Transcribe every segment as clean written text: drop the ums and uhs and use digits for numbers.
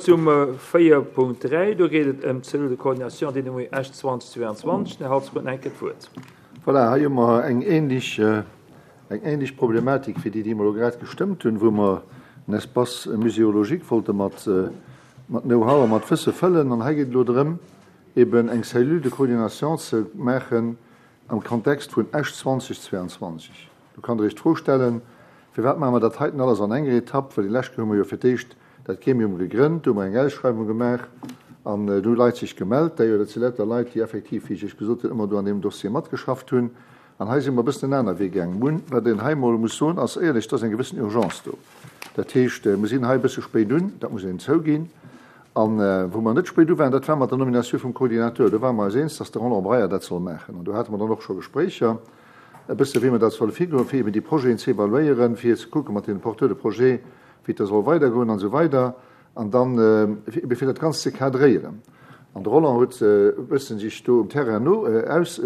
zum 4.3. Do geet et ëm d'Cellule de coordination dénommée Esch 2022. Den Här Halsbach huet nach eng Kéier d'Wuert. Voilà, hei hu mer eng ähnlech, eng ähnlech Problematik wéi déi, déi mer elo grad gestëmmt hunn, wou mer en Espace muséologique wollte mat, mat Know-how a mat Wësse fëllen. An hei geet et elo drëm, eben eng Cellule de coordination ze maachen am Kontext vun Esch 2022. Do kann Der Iech d'Fro stellen, Firwat maache mer dat heiten alles an enger Etapp? Well déi lescht Kéier hu mer jo fir d'éischt dat Gremium gegrënnt, do hu mer eng Ausschreiwung gemaach an do hu Leit sech gemellt. D'ailleurs, dat si lauter Leit, déi effektiv, wéi ech Iech gesot hunn, ëmmer do an deem Dossier matgeschafft hunn. An hei si mer e bëssen en aner Wee gaangen. Mun, wat een hei emol muss soen, ass éierlech, et ass eng gewëssen Urgence do. Dat heescht, mer sinn hei e bësse spéit un, dat muss een zouginn. A wou mer net spéit u waren, dat war mat der Nominatioun vum Coordinateur. Do ware mer eis eens, dass de Roland Breyer dat soll maachen. An do hate mer dann och scho Gespréicher e bësse wéi mer dat solle virgoen, fir eben déi Projeten ze evaluéieren, fir ze kucke mat deene Porteurs de projet, wéi et da soll weidergoen an esou weider. An dann ebe fir dat Ganzt ze cadréieren. An de Roland huet e bësse sech do um Terrain no aus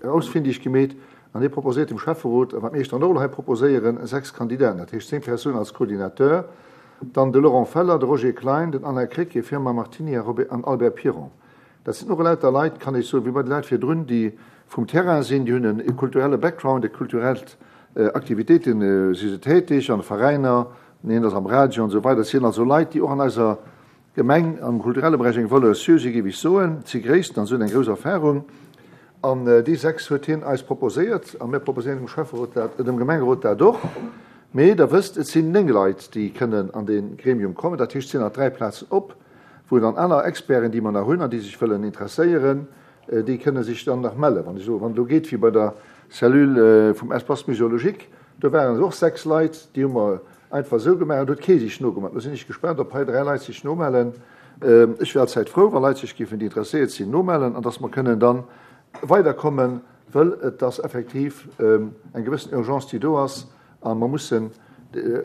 ausfindig gemeet an hie proposéiert dem Schäfferot, a wat mir iech dann och elo hei proposéieren, 6 Kandidaten, dat heescht 10 Persounen als Coordinateur, dann de Laurent Feller, de Roger Klein, den Alain Krecké, Firmin Martini a Robert an Albert Piron. Dat sinn och elauter Leit, kann ech soen, wéi bei de Leit virdrun, déi vum Terrain sinn, déi hunn e kulturelle Background, e kulturellt Aktivitéite si se tätig, an de Veräiner, een ass am Radio an esou weider. Et sinn also Leit, déi och an eiser Gemeng am kulturelle Beräich eng Valeur sûre sinn, géif ech soen. Et si Gréissten an se hunn eng grouss Erfahrung. An déi 6 huet hien eis proposéiert a mir proposéieren dem Schäfferot dat, dem Gemengerot dat och. Mee Der wësst, et sinn 9 Leit, déi kënnen an dee Gremium kommen. Dat heescht, et sinn nach 3 Plazen op. wou dann aner Experten, déi mer nach hunn an déi sech wëllen interesséieren, déi kënne sech dann nach mellen. Wann ech elo, wann et elo geet wéi bei der Cellule vum Espace muséologique, do waren et och 6 Leit, déi hu mer einfach esou gemaach an do huet kee sech nogemellt. Elo sinn ech gespaant, ob hei 3 Leit sech nomellen. Ech wier allzäit frou, wa Leit sech géifen, déi interesséiert sinn, nomellen an dass mer kënnen dann weiderkommen, wëll et ass effektiv eng gewëssen Urgence, déi do ass. A mer mussen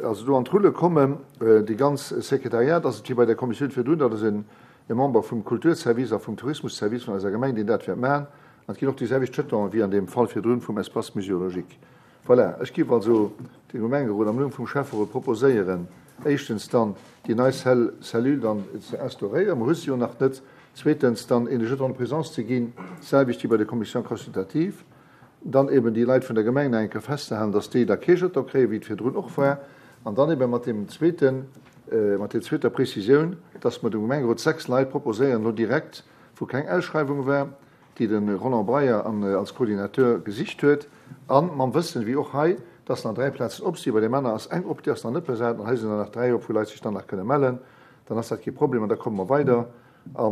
also do an d'Rulle kommen. Déi ganz Sekretariat ass et wéi bei der Kommissioun virdrun, dat ass e Member vum Kulturservice a vum Tourismusservice vun eiser Gemeng, deen dat wäert maachen. An et ginn och déi selwecht Jetonen wéi an deem Fall virdrun vum Espace muséologique. Voilà, ech géif also dem Gemengerot am Numm vum Schäfferot proposéieren, éischtens dann déi nei Cellule dann ze instauréieren, mer hu se jo nach net, zweetens dann een Jeton de présence ze ginn, d'selwecht wéi bei der Commission consultative, dann eben déi Leit vun der Gemeng nach eng Kéier festzehalen, dass déi da kee Jeton kréien, wéi et virdrun och war, an dann eben mat deem zweeten, mat där zweeter Précisioun, dass mer dem Gemengerot 6 Leit proposéieren elo direkt, wou keng Ausschreiwung war, déi de Roland Breyer an als Coordinateur gesicht huet, a mam Wëssen, wéi och hei, dass nach 3 Plazen op sinn. Bei deem aner ass eng op, déi ass nach net besat, an hei sinn der nach 3 op, wou Leit sech dann nach kënne mellen. Dann ass dat kee Problem an da komme mer weider. A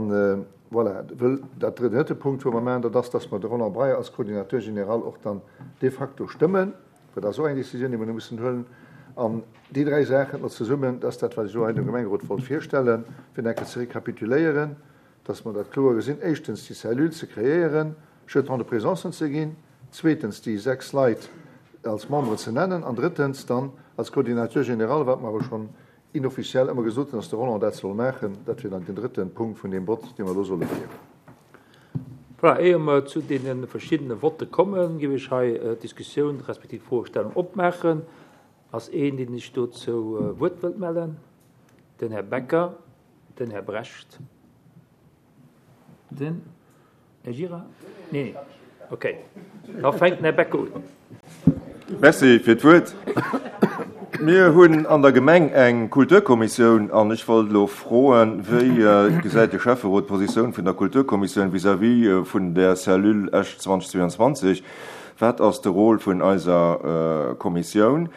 voilà, wëll dat drëtte Punkt, wou mer maachen, dat ass, dass mer de Roland Breyer als Coordinateur général och dann de facto stëmmen, well dat ass och eng Décisioun, déi mer elo mussen huelen. An déi dräi Saachen elo zesummen, dat ass dat, wat ech elo hei dem Gemengerot wollt virstellen, fir nach eng Kéier ze rekapituléieren, dass mer dat kloer gesinn, éischtens déi Cellule ze kreéieren, Jetons de présencen ze ginn, zweetens déi 6 Leit als Memberen ze nennen an drëttens dann als Coordinateur général, wat mer awer schonn inofficiell ëmmer gesot hunn, dass de Roland dat soll maachen. Dat wier dann den drëtten Punkt vun deem Vott, dee mer elo solle féieren. Voilà, éier mer zu deene verschiddene Votte kommen, géif ech hei d'Diskussioun respektiv d'Froestellung opmaachen. Ass een, deen sech do zou Wuert wëllt mellen? Den Här Becker, den Här Brecht, den. Här Gira? Nee, okay. Da fänkt den Här Becker un. Merci fir d'Wuert. Mir hunn an der Gemeng eng Kulturkommissioun an ech wollt elo froen, Wéi gesäit de Schäfferot d'Positioun vun der Kulturkommissioun vis-à-vis vun där Cellule Esch 2022? Wat ass de Rôle vun eiser Kommissioun?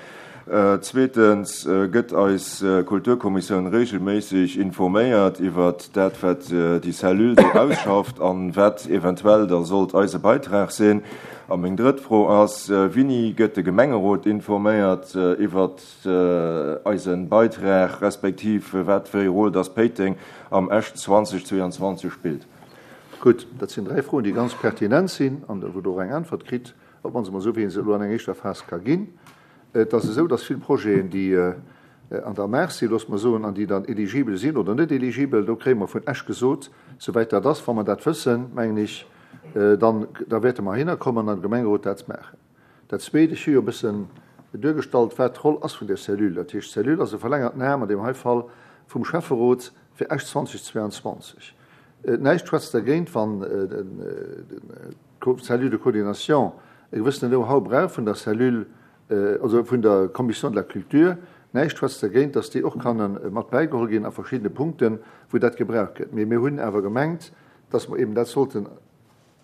Zweetens, gëtt eis Kulturkommissioun regelméisseg informéiert iwwert dat, wat déi Cellule do ausschafft an wat eventuell da sollt eise Beitrag sinn? A meng drëtt Fro ass, Wini gëtt de Gemengerot informéiert iwwert eise Beitrag, respektiv wat fir ee Rôle dass Péiteng am Esch 2022 spillt? Gutt, dat sinn dräi Froen, déi ganz pertinent sinn an wou Der och eng Äntwert kritt, op d'mannst emol esou, wéi ee se elo an enger éischter Phas ka ginn. Et ass esou, dass vill Projeten, déi an der Maach sinn, loosse mer soen, an déi dann eligibel sinn oder net eligibel, do kréie mer vun Esch gesot, souwäit dat ass, wa mer dat wëssen, mengen ech, dann, da wäerte mer heihinner kommen an am Gemengerot dat maachen. Dat Zweet, ech hu jo e bëssen duergestallt, wat d'Roll ass vun där Cellule. Dat heescht, d'Cellule ass e verlängerten Aarm, an deem hei Fall vum Schäfferot, fir Esch 2022. Näischt schwätzt dergéint, wann d'Cellule de coordination e gewëssenen Know-how brauch vun der Cellule, also vun der Commission de la Culture, näischt schwätzt dergéint, dass déi och kann mat bäigeholl ginn a verschiddene Punkten, wou dat gebraucht gëtt. Mee mir hunn awer gemengt, dass mer eben dat sollten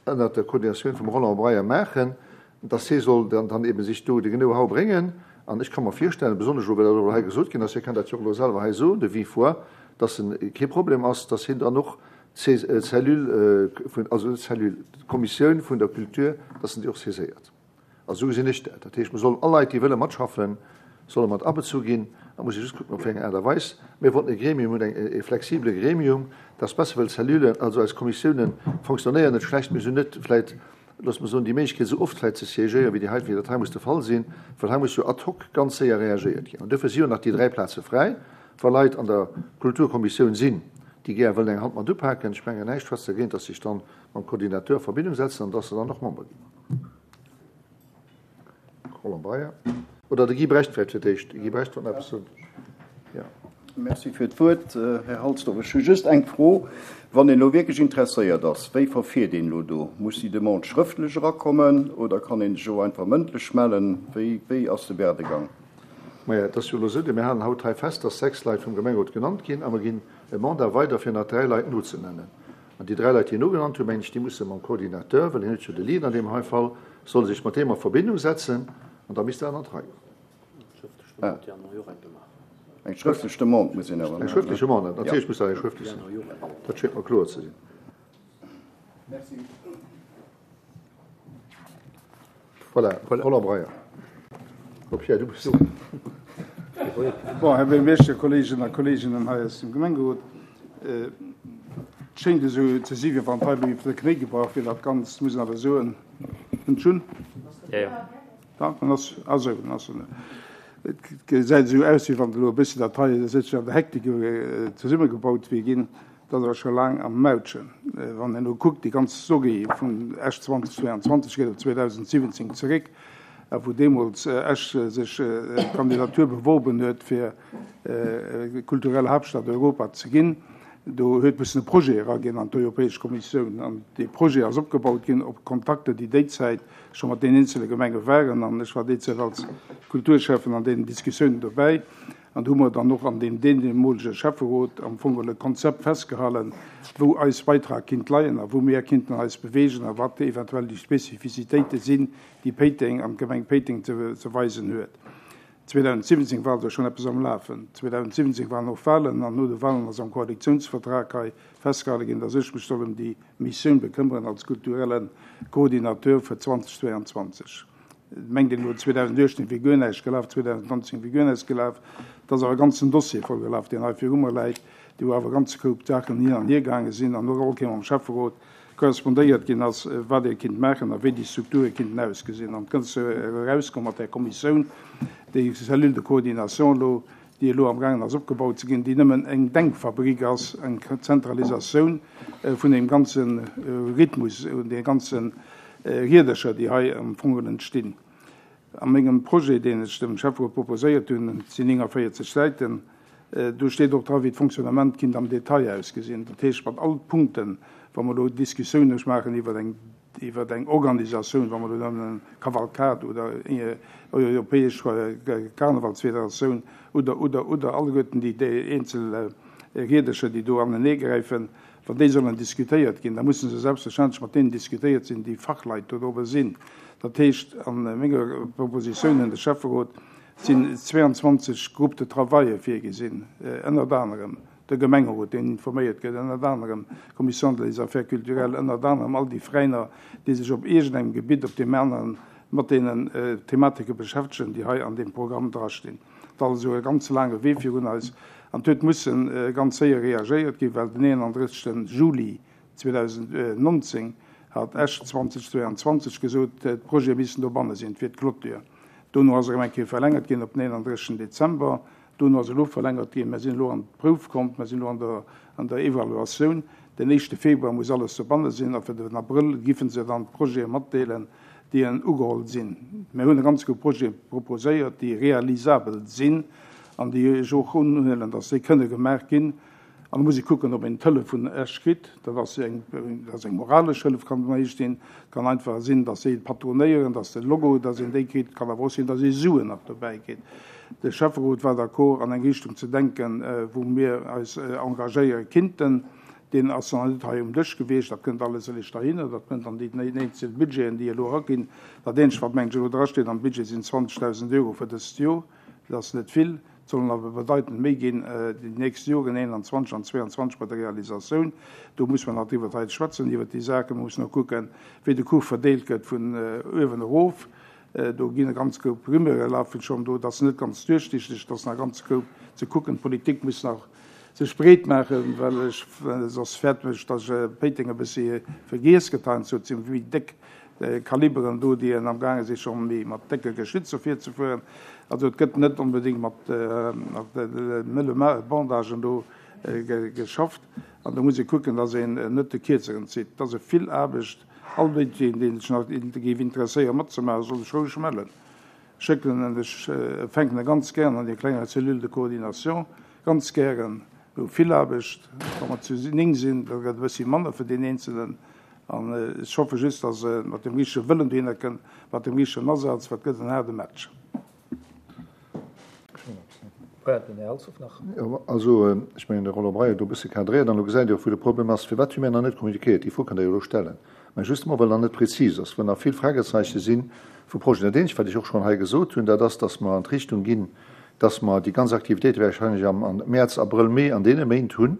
ënnert der Koordinatioun vum Roland Breyer maachen, dass hie soll dann dann eben sich do de Know-how bréngen. An ech ka mer virstellen, besonnesch elo, well dat och elo hei gesot ginn ass, hie kann dat jo och elo selwer hei soen, de vive voix, dass en kee Problem ass, dass hien dann och d'Cellule vun, also net d'Cellule, d'Kommissioun vun der Culture, dass en déi och saiséiert. Also esou gesinn ech dat. Dat heescht, mer sollen all Leit, déi wëlle matschaffen, solle mat abezu ginn. Da muss ee just kucken, op wéi eng Aart a Weis. Mir wollten e Gremium hunn, eng, e flexibele Gremium. Dat ass besser, well d'Cellulen, also eis Kommissiounen, fonctionnéieren net schlecht, mee se hunn net vläicht, loosse mer soen, déi Méiglechkeet, esou oft vläicht ze siégéieren, wéi déi hei, wéi dat hei muss de Fall sinn, well hei muss jo ad hoc ganz séier reagéiert ginn. An duerfir si jo nach déi 3 Plaze fräi, wa Leit an der Kulturkommissioun sinn, déi gär wëllen eng Hand mat upaken. Ech mengen, näischt schwätzt dergéint, dass sech dann mam Coordinateur a Verbindung setzen an dass se dann och Member ginn. Roland Breyer. Oder de Guy Brecht vläicht fir d'éischt. De Guy Brecht wollt nach eppes soen. Jo. Merci fir d'Wuert, Här Halsdorf. Ech hu just eng Fro. Wann een elo wierklech interesséiert ass, wéi verfiert een elo do? Muss déi Demande schrëftlech erakommen oder kann een sech och einfach mëndlech mellen? Wéi, wéi ass de Werdegang? Maja, et ass jo elo esou, mir halen haut hei fest, dass 6 Leit vum Gemengerot genannt ginn a mer ginn e Mandat weider, fir nach 3 Leit nozenennen. An déi 3 Leit, déi en ugenannt hunn, mengen ech, déi musse mam Coordinateur, well hien huet jo de Lead an deem hei Fall, solle sech mat deem a Verbindung setzen an da misst dat an d'Rei goen. Eng schrëftlech Demande muss een awer maachen. Eng schrëftlech Demande, natierlech muss dat eng schrëftlech sinn. Dat schéngt mer kloer ze sinn. Merci. Voilà, Roland Breyer. Oh Pierre, du bist do. Bon, Här Buergermeeschter, Kolleegen a Kolleeginnen hei aus dem Gemengerot, et schéngt esou ze si wéi wann hei elo iwwer de Knéi gebrach wier, dat Ganzt, muss een awer soen. Kënnt schonn? Ja, ja. Ja, dann ass, ah sou, dann ass en. Et gesäit esou aus, wéi wann elo e bëssi dat hei esou an der Hektik zesummegebaut wier ginn. Dat ass scho laang am Mautchen. Wann een elo kuckt, déi ganz Story vun Esch 2022 geet op 2017 zeréck, wou deemools Esch sech d'Kandidatur beworben huet, fir kulturell Haaptstad Europa ze ginn. Do huet mussen e Projet eraginn an d'Europäesch Kommissioun. An dee Projet ass opgebaut ginn op Kontakter, déi déizäit scho mat deenen eenzele Gemenge waren. An ech war déizäit als Kulturschäffen an deenen Diskussiounen dobäi. An do hu mer dann och an deem deemolege Schäfferot am Fong geholl e Konzept festgehalten, wou eis Beitrag kinnt leien a wou mir kinnten eis bewegen a wat eventuell déi Spezifizitéite sinn, déi Péiteng an d'Gemeng Péiteng ze weisen huet. 2017 war also schonn eppes am Lafen. 2017 waren och Wahlen an no de Wahlen ass am Koalitionsvertrag hei festgehale ginn, dass ech mech soll ëm déi Missioun bekëmmeren als kulturelle Coordinateur fir 2022. Mengt een elo 2018 wier guer näischt gelaf, 2019 wier guer näischt gelaf. Et ass awer e ganzen Dossier voll gelaf, deen hei viru mer läit, dee wou awer e ganze Koup Saachen hin an hier gaange sinn an och all Kéier mam Schäfferot korrespondéiert ginn ass, wat ee kinnt maachen a wéi déi Strukture kinnten ausgesinn. An et gëtt erauskomm mat där Kommissioun, déi Cellule de coordination elo, déi elo amgaangen ass opgebaut ze ginn, déi nëmmen eng Denkfabrik ass, eng Zentralisatioun vun deem ganze Rhythmus, un de ganze Riedercher, déi hei am Fong geholl entstinn. A mengem Projet, deen ech dem Schäfferot proposéiert hunn, et sinn 49 Säiten, do steet och dra wéi d'Fonctionnement kinnt am Detail ausgesinn. Dat heescht mat all Punkten, wa mer elo Diskussiounen maachen iwwer eng iwwer eng Organisatioun, wa mer elo nëmmen Kavalkad oder europäesch Karnevalsfederatioun oder, oder, oder, alleguerten déi eenzel Riedercher, déi do aneneegräifen, wann déi sollen diskutéiert ginn, da musse se selbstverständlech mat deenen diskutéiert sinn, déi Fachleit do drobber sinn. Dat heescht, a menger Propositioun un de Schäfferot sinn 22 Groupes de travaille virgesinn, ënnert anerem de Gemengerot, deen informéiert gëtt, ënnert anerem d'Commission des Affaires culturelles, ënnert anerem all déi Veräiner, déi sech op iergendengem Gebitt, op deem aneren, mat deenen Thematike beschäftegen, déi hei an deem Programm drastinn. Et ass also e ganz laange Wee virun eis an et huet musse ganz séier reagéiert ginn, well den 31. Juli 2019 hat Esch 2022 gesot, d'Projete missten dobanne sinn, et wier d'Clôture. Dono ass erëm eng Kéier verlängert ginn op den 31. Dezember. Dono ass elo verlängert ginn. Mer sinn elo an d'Prouf komm, mer sinn elo an der, an der Evaluatioun. Den éischte Februar muss alles dobanne sinn a fir den Abrëll giffen se dann d'Projete matdeelen, déi en ugeholl sinn. Mer hunn e ganz Koup Projete proposéiert, déi realisabel sinn an déi ech och unhuelen, dass déi kënne gemaach ginn. An da muss ee kucken, ob een d'Hëllef vun Esch kritt. Dat ass eng, dat ass eng moralesch Hëllef, kann et sinn. Et kann einfach sinn, datt si patronéieren, datt de Logo, datt een déi kritt. Et kann awer och sinn, datt ee Suen nach dobäi kritt. De Schäfferot war d'accord, an eng Richtung ze denken, wou mir eis engagéiere kinnten. Deen ass nach net hei um Dësch gewiescht. Dat kënnt alles eréischt derhinner. Dat kënnt an déi eenzel Budgeten, déi elo eraginn. Dat eenzegt, wat, mengen ech, elo drasteet am Budget, sinn 20.000 Euro fir dëst Joer. Dat ass net vill. Et sollen awer bedeitend méi ginn déi nächst Joren, 21 an 22 bei der Realisatioun. Do muss mer nach driwwer hei schwätzen, iwwert déi Saachen. Mer mussen och kucken, wéi de Kuch verdeelt gëtt vun uewen erof. Do ginn e ganz Koup Rumeure lafen schonn do. Dat ass net ganz duerchsichteg. Et ass nach e ganze Koup ze kucken. D'Politik muss nach sech breet maachen, well ech soss fäerten ech, datt Péiteng e bëssi vergiess gëtt heiansdo. Et si méi déck Kaliberen do, déi en amgaange si scho méi mat décke Geschützer virzefueren. Also et gëtt net onbedéngt mat mëlle Bandagen do geschafft. An do muss ee kucken, datt een net de Kierzeren zitt. Et ass e vill Aarbecht. All deen, dee sech nach géif interesséieren matzemaachen, soll sech roueg mellen. Schécken en, ech fänken e ganz gären an déi klenger Cellule de coordination, ganz gären. Mir hu vill Aarbecht. Wa mer zu 9 sinn, da gëtt e bëssi manner fir deen Eenzelen. An ech hoffe just, dass e mat dem richtege Wëllen dohinner kënnt, mat dem richtegen Asaz, well et gëtt en haarde Match. Voilà, den Här Halsdorf nach. Jo, also ech mengen, de Roland Breyer huet do e bësse cadréiert an elo gesäit Dir och, wou de Problem ass. Firwat hu mir nach net kommuniquéiert? Déi Fro kënnt Der jo elo stellen. Mä justement, well nach net prezis ass, wou nach vill Fragezeiche si vu Projeten. Dat eenzegt, wat ech och schonn hei gesot hunn, dat ass, dass mer an d'Richtung ginn, dass mer déi ganz Aktivitéite wahrscheinlech am Mäerz, Abrëll, Mee, an deene Méint hunn,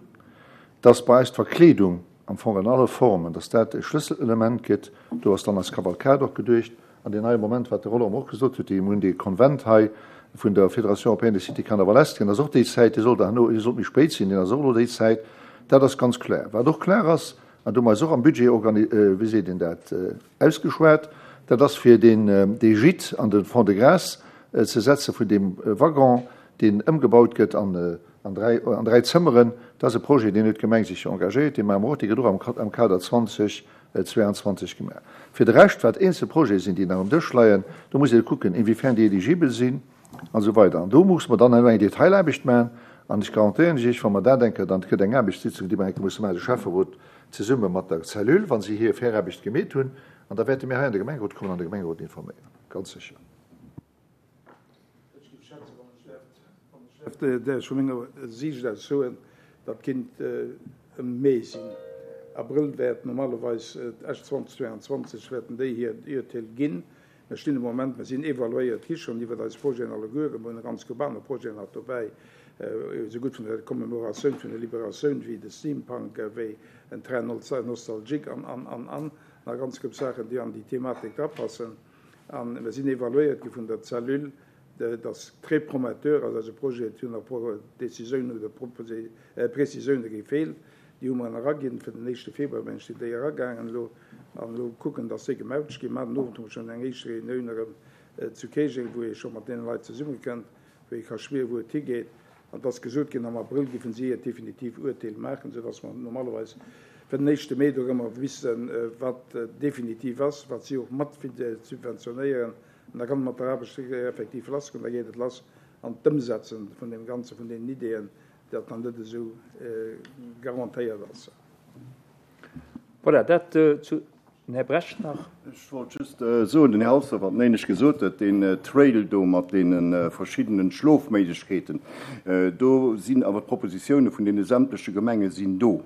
dass bei eis d'Verkleedung am Fong an alle Formen, dass dat e Schlësselelement gëtt. Do ass dann eis Kavalkad och geduecht. An deen neie Moment, wat de Roland och gesot huet, déi mir hunn dee Konvent hei vun der Fédération européenne des cités carnavalesques, ass och déi Zäit, dee sollt herno, dee sollt méi spéit sinn, deen ass och elo déi Zäit. Dat ass ganz kloer. Wat och klar ass, an do hu mer eis och am Budget organi, wéi seet een dat, ausgeschwat, dat ass fir deen, dee Gîte an de Fond-de-Gras ze setze vun deem Waggon, deen ëmgebaut gëtt an An 3 Zëmmeren, dat ass e Projet, deen huet d'Gemeng sech jo engagéiert, dee maache mer och, dee gëtt och am Kader 2022 gemaach. Fir de Rescht, wat eenzel Projete sinn, déi nach um Dësch leien, do muss ee kucken, inwiefern déi eligibel sinn an esou weider. An do musse mer dann herno eng Detailaarbecht maachen. An ech garantéieren lech, wa mer dat eng Kéier, dann gëtt eng Aarbechtssitzung, déi mer eng Kéier musse maachen, de Schäfferot zesumme mat der Cellule, wa si hir Viraarbecht gemeet hunn, an da wäerte mir hei an de Gemengerot kommen an de Gemengerot informéieren, ganz sécher. Ech géif schätzen, wann ech däerft, wann ech däerft däerf vu menger Siicht aus soen, dat kinnt ëm Mee sinn. Abrëll wäert normalerweis Esch 2022 wäerten déi hir Urteel ginn. Mir stinn de Moment, mir sinn evaluéiert gi schonn iwwert eis Projeten allegueren. Mir hunn e ganz Koup aner Projeten nach dobäi, esougutt vun der Commemoratioun vun der Liberatioun wéi de Steampunk, wéi en Train nostalgique an, an, an, an nach e ganz Koup Saachen, déi an déi Thematik drapassen. A mir sinn evaluéiert gi vun der Cellule, dat ass très prometteur ass eise Projet. Et hunn nach e puer Décisiounen oder Précisioune gefeelt, déi hu mer eraginn. Fir den éischte Februar, mengen ech, sinn déi eragaangen elo. An elo kucken, dass déi gemautscht ginn. Mar den Owend hu mer schonn eng éischt Reunioun erëm zu Käerjeng, wou ee scho mat deene Leit zesummekënnt, wou ee ka schwieren, wou et higeet. An et ass gesot ginn, am Abrëll géifen si hiert definitiv Urteel maachen, soudass mer normalerweis fir den éischte Mee dorëmmer wissen, wat definitiv ass, wat si och mat subventionéieren. An da kann et mat der Aarbecht effektiv lassgoen. Da geet et lass an d'Ëmsetze vun deem Ganzen, vun deenen Ideeën, dat nach net esou garantéiert ass. Voilà, dat zu den Här Brecht nach. Ech wollt just soen, den Här Halsdorf hat néineg gesot huet, deen Trail do mat deene verschiddenen Schlofméiglechkeeten, do sinn awer d'Propositioune vun deene sämtleche Gemenge sinn do.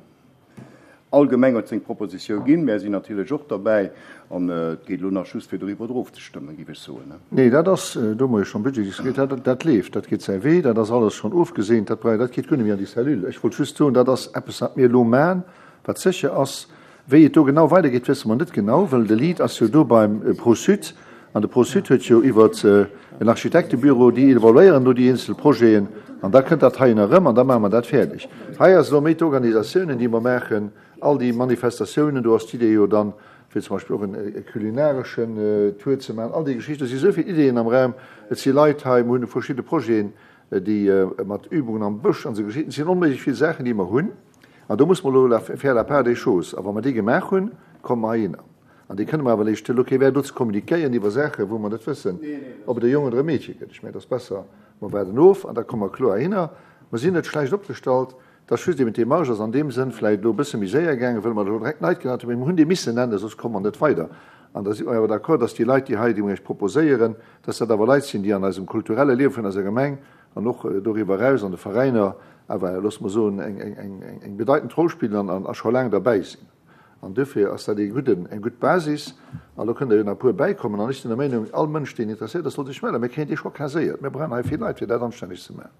All Gemeng huet seng Propositioun ginn, mär sinn natierlech och derbäi an et geet elo nach just fir doriwwer erofzestëmmen, géif ech soen. Nee, dat ass, do hu mer jo schonn Budget diskutéiert, dat, dat leeft, dat geet säi Wee, dat ass alles schonn ofgeseent, dat brauch, dat geet guer net méi an déi Cellule. Ech wollt just soen, dat ass eppes, wat mir elo maachen, wat sécher ass. Wéi et do genau weidergeet, wësse mer net genau, well de Lead ass jo do beim Pro-Sud an de Pro-Sud huet jo iwwert en Architektebüro, déi evaluéieren do déi eenzel Projeten an da kënnt dat heien erëm an da maache mer dat fäerdeg. Hei ass elo méi d'Organisatiounen, déi mer maachen, all déi Manifestatiounen, do ass d'Idee jo dann, fir zum Beispill och e kulinareschen Tour ze maachen, all déi Geschichten. Et si esou vill Ideeën am Raum, et si Leit hei, mer hunn verschidde Projeten, déi mat Übungen am Bësch an esou Geschichten, et sinn onméiglech vill Saachen, déi mer hunn. An do muss mer elo la faire la part des choses. A wa mer déi gemaach hunn, komme mer heihinner. An déi kënne mer awer léischt elo kee Wäert do ze kommunikéieren iwwer Saachen, wou mer net wëssen, ob et e Jong oder e Meedche gëtt. Ech mengen, et ass besser, mer waarden of an da komme mer kloer heihinner. Mer sinn net schlecht opgestallt. Et ass just eben, d'Demarche ass an deem Sënn vläicht elo e bësse méi séier gaangen, wëll mer elo direkt Leit genannt hunn. Mee mer hunn déi missen nennen, soss komme mer net weider. An da si mer awer d'accord, dass déi Leit, déi hei, déi mer Iech proposéieren, dass dat awer Leit sinn, déi an eisem kulturelle Liewe vun eiser Gemeng an och doriwwer eraus an de Veräiner awer, loosse mer soen, eng bedeitend Roll spillen an a scho laang derbäi sinn. An duerfir ass dat ee gudden, eng gutt Basis. An elo kënnen der jo nach e puer bäikommen. An ech sinn der Meinung, all Mënsch, deen interesséiert ass, soll sech mellen. Mir kréien déi scho kaséiert. Mir brauchen hei vill Leit, fir dat anstänneg ze maachen.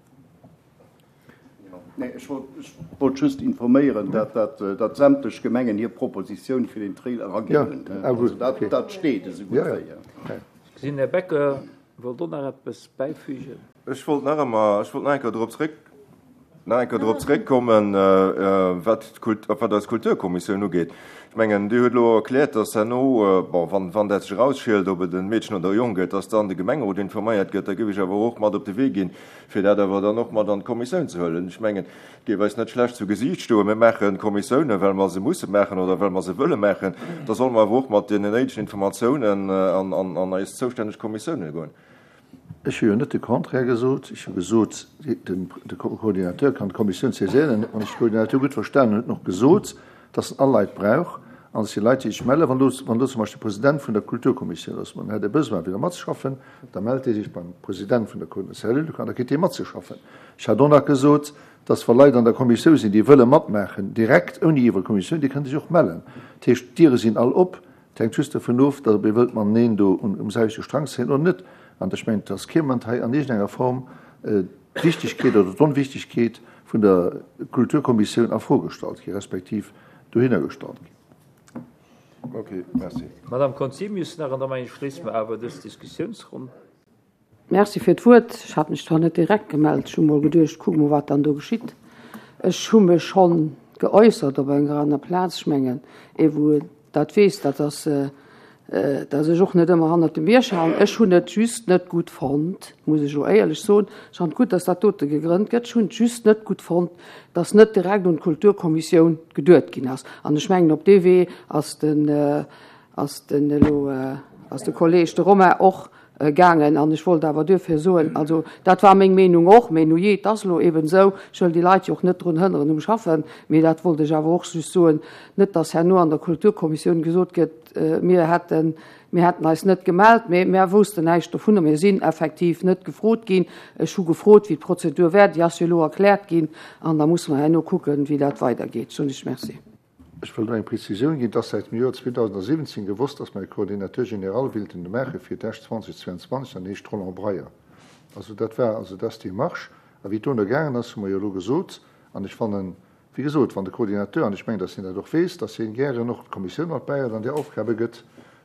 Nee, ech wollt just informéieren, datt sämtlech Gemengen hir Propositioun fir den Trail eraginn hunn. Also dat steet esou gutt wéi. Ech gesinn, Här Becker wollt och nach eppes bäifügen. Ech wollt nach ëmmer, ech wollt nach eng Kéier dorop zréck, nach eng Kéier dorop zréckkommen, wat d'Kult, wat eis Kulturkommissioun ugeet. Ech mengen, Dir hutt elo erkläert, datt herno, bon, wann, wann dat sech erausschielt, ob et e Meedchen oder e Jong gëtt, datt dann de Gemengerot informéiert gëtt. Da géif ech awer och mat op de Wee ginn, fir dat awer dann och mat an d'Kommissioun ze huelen. Ech mengen, et géif eis net schlecht zu Gesiicht stoen, mir maache Kommissiounen, well mer se musse maachen oder well mer se wëlle maachen, da solle mer awer och mat deenen néidegen Informatiounen an eis zoustänneg Kommissiounen goen. Ech hu jo net de Contraire gesot. Ech hu gesot, de Coordinateur kann d'Kommissioun saiséieren. Wann ech de Coordinateur gutt verstanen hunn, huet en och gesot, dass en all Leit brauch an dass déi Leit, déi sech mellen, wann do, wann do zum Beispill de President vun der Kulturkommissioun ass, an en hätt e Besoin fir do matzeschaffen, da mellt dee sech beim President vun der Cellule an da kritt dee matzeschaffen. Ech hat och nach gesot, dass wa Leit an der Kommissioun sinn, déi wëlle matmaachen, direkt, ouni iwwer d'Kommissioun, déi kënne sech och mellen. Dat heescht, d'Diere sinn all op. Et hänkt just dovun of, dass ob ee wëllt mateneen do um selwechte Strang zéien oder net. An ech mengen, dass kee Moment hei an iergendenger Form d'Wichtigkeet oder d'Onwichtigkeet vun der Kulturkommissioun a Fro gestallt gi respektiv dohinner gestallt ginn. Ok, merci. Madame Conzemius nach, an da mengen ech schléisse mer awer dës Diskussiounsronn. Merci fir d'Wuert. Ech hat mech zwar net direkt gemellt, ech hu mol geduecht, kuck mol wat dann do geschitt. Ech hu mech schonn geäussert op enger aner Plaz. Ech mengen, ee wou dat weess, dat ass, dass ech och net ëmmer hannert dem Bierg halen. Ech hunn et just net gutt fonnt, muss ech elo éierlech soen, ech fannen et gutt, dass dat dote gegrënnt gëtt, ech hunn et just net gutt fonnt, dass net direkt un d'Kulturkommissioun geduet ginn ass. An ech mengen, op dee Wee ass den, ass den elo, ass de Kolleg, de Romain, och gaangen. An ech wollt awer duerfir soen, also dat war meng Meenung och, mee nujee, et ass elo eben esou, ech wëll déi Leit jo och net drun hënneren um Schaffen, mee dat wollt ech awer och just soen, net dass herno an der Kulturkommissioun gesot gëtt, mir hätten, mir hätten eis net gemellt, mee mär woussten näischt dovunner, mir sinn effektiv net gefrot ginn. Ech hu gefrot, wéi d'Prozedur wär, déi ass jo elo erkläert ginn, an da musse mer herno kucken, wéi dat weidergeet. Soen ech Merci. Ech wëll do eng Prezisioun ginn. Et ass säit dem Joer 2017 gewosst, dass mer e Coordinateur général willten maache fir d'Esch 2022, an dee heescht Roland Breyer. Also dat war also dat ass d'Demarche. A wéi et dono gaangen ass, hu mer jo elo gesot, an ech fannen, wéi gesot, wann de Coordinateur, an ech mengen, dass hien dat och weess, dass hien gären och d'Kommissioun mat bäihuet an déi Aufgabe gëtt,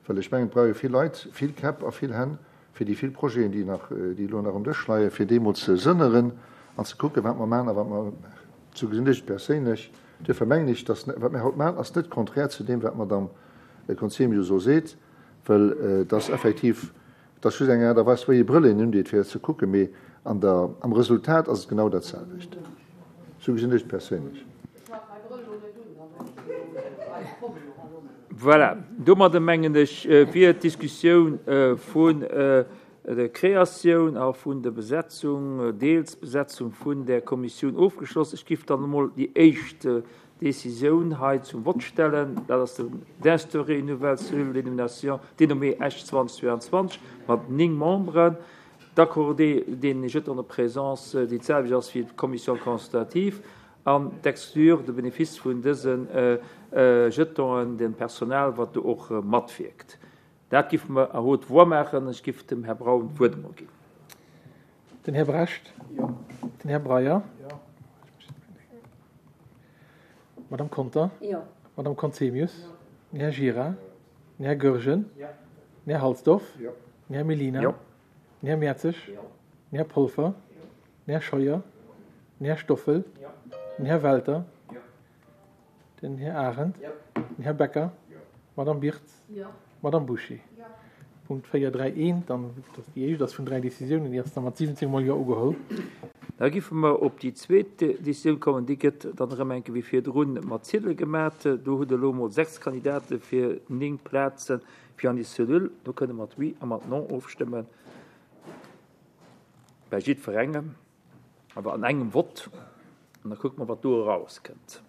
well ech mengen, et brauch ee vill Leit, vill Käpp a vill Hänn, fir déi vill Projeten, déi nach, déi elo nach um Dësch leien, fir déi emol ze sënneren an ze kucken, wat mer maachen a wat mer, sou gesinn ech et perséinlech, Duerfir mengen ech, dass wat mir haut maachen, ass net konträr zu deem, wat d'Madame Conzemius elo seet, well et ass effektiv, et ass just eng Aart a Weis, wéi ee Brëll een undeet, fir dat ze kucken, mee an der, am Resultat ass et genau dat selwecht. Sou gesinn ech et perséinlech. Voilà, domadder mengen ech, wier d'Diskussioun vun der Kreatioun a vun der Besetzung, deels Besetzung vun där Kommissioun ofgeschloss. Ech giff dann emol déi éischt Décisioun hei zum Vott stellen, dat ass den d'instaurer une nouvelle cellule de dénomination dénommée Esch 2022 mat 9 Memberen, d'accorder den Jetons de présence, déi d'selwecht ass wéi d'Commission consultative, an d'exclure de Bénéfice vun dëse Jetonen dem Personal, wat do och matwierkt. Dat giffe mer à haute voix maachen. Ech giff dem Här Braun d'Wuert emol ginn. Den Här Brecht. Jo. Den Här Breyer. Jo. D'Madame Conter. Jo. D'Madame Conzemius. Jo. Den Här Gira. Den Här Goergen. Jo. Den Här Halsdorf. Jo. Den Här Mellina. Jo. Den Här Mertzig. Jo. Den Här Polfer. Jo. Den Här Scheuer. Den Här Stoffel. Jo. Den Här Welter. Jo. Den Här Arendt. Den Här Becker. D'Madame Birtz. D'Madame Bouché. Punkt 4, 3, 1, dann, dat déi éischt ass vun dräi Décisiounen, déi ass da mat 17 mol Jo ugeholl. Da giffe mer op déi zweet Décisioun kommen. Déi gëtt dann erëm eng Kéier wéi virdrun mat Ziedele gemat. Do hutt Der elo emol 6 Kandidate fir 9 Plaze fir an déi Cellule. Do kënne mat Oui a mat Non ofstëmmen bei jiddwerengem, awer an engem Vott. An da kucke mer, wat do erauskënnt.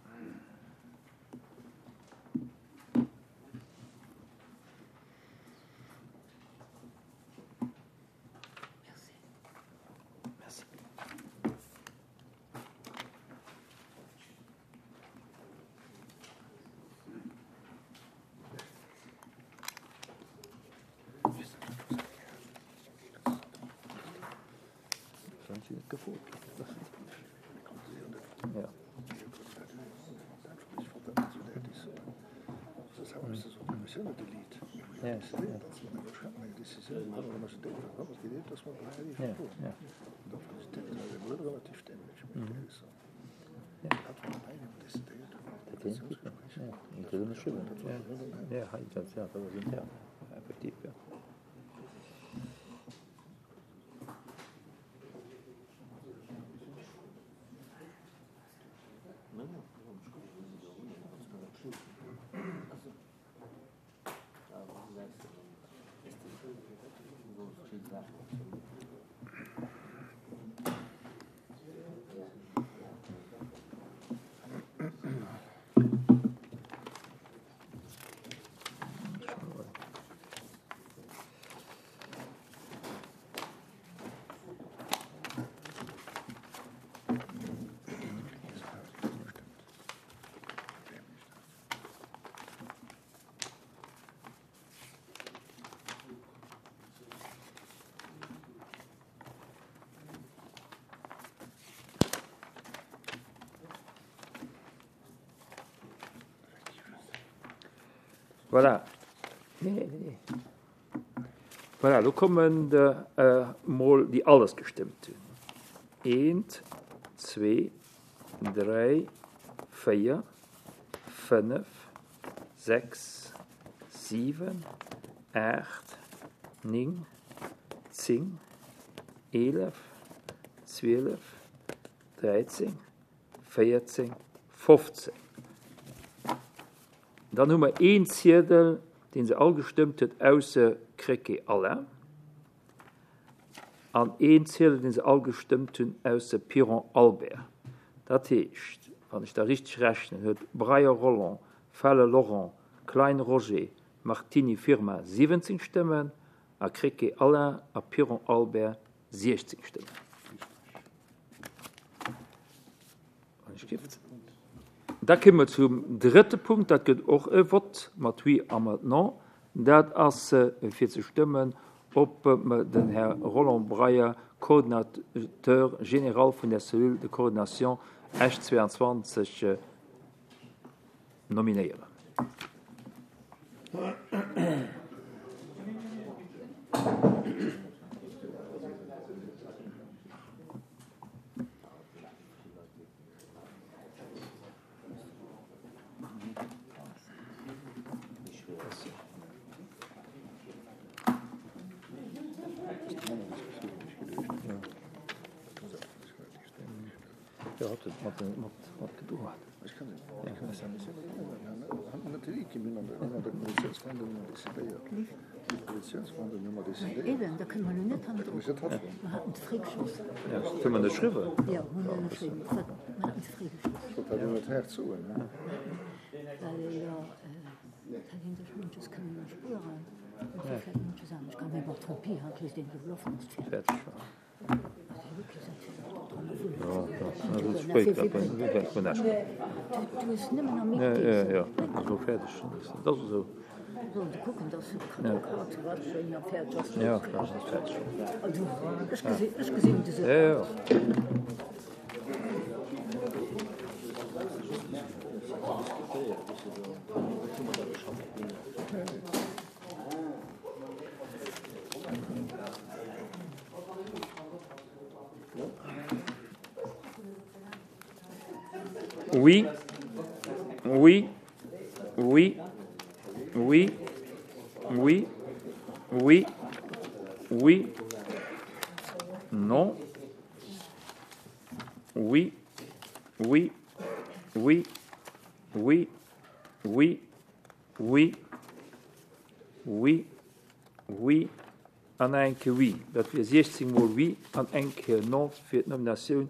Voilà. Voilà, elo kommen emol déi alles gestëmmt hunn. Eent, zwee, dräi, véier, fënnef, 6, 7, 8, 9, 10, 11, 12, 13, 14, 15. Dann hu mer een Ziedel, dee se all gestëmmt huet, ausser Krecké Alain. An een Ziedel, dee se all gestëmmt hunn, ausser Piron Albert. Dat heescht, wann ech da richteg rechnen, huet Breyer Roland, Feller Laurent, Klein Roger, Martini Firmin 17 Stëmmen a Krecké Alain a Piron Albert 16 Stëmmen. Da kéime mer zum drëtte Punkt, dat gëtt och e Vott mat Oui a mat Non. Dat ass fir ze stëmmen, ob mer den Här Roland Breyer Coordinateur général vun der Cellule de coordination Esch 22 nominéieren. Oui, oui, oui, oui, oui, oui, oui, non, oui, oui, oui, oui, oui, oui, oui, oui an eng Kéier oui. Dat wier 16 mol oui an eng Kéier non fir d'Nominatioun.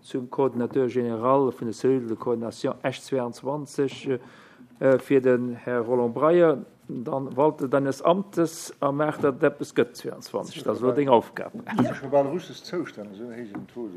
Zum Coordinateur général vun der Cellule de coordination Esch 22 fir den Här Roland Breyer. Dann walte deines Amtes a maach, datt et eppes gëtt 22. Dat ass elo deng Aufgab. Scho bal russesch Zoustänn, esou héijen Taux.